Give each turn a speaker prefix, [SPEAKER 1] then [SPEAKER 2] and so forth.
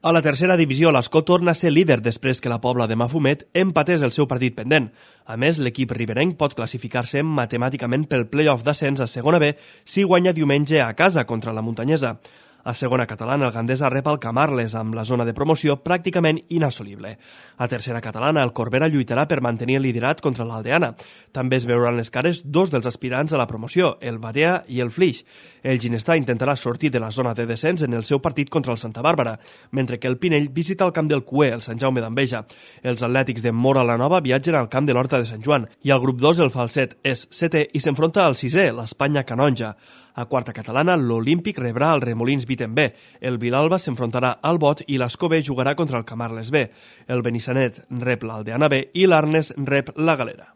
[SPEAKER 1] A la tercera divisió, l'Escó torna a ser líder després que la Pobla de Mafumet empatés el seu partit pendent. A més, l'equip riberenc pot classificar-se matemàticament pel play-off d'ascens a segona B si guanya diumenge a casa contra la Muntanyesa. A segona catalana, el Gandesa rep el Camarles, amb la zona de promoció pràcticament inassolible. A tercera catalana, el Corbera lluitarà per mantenir el liderat contra l'Aldeana. També es veuran les cares dos dels aspirants a la promoció, el Badea i el Flix. El Ginestà intentarà sortir de la zona de descens en el seu partit contra el Santa Bàrbara, mentre que el Pinell visita el camp del Cué, el Sant Jaume d'Enveja. Els atlètics de Mora la Nova viatgen al camp de l'Horta de Sant Joan, i el grup 2, el Falset, és setè i s'enfronta al sisè, l'Espanya Canonja. A quarta catalana, l'Olímpic rebrà el Remolins Viten B, el Vilalba s'enfrontarà al Bot i l'Escó B jugarà contra el Camarles B. El Benissanet rep l'Aldeana B i l'Arnes rep la Galera.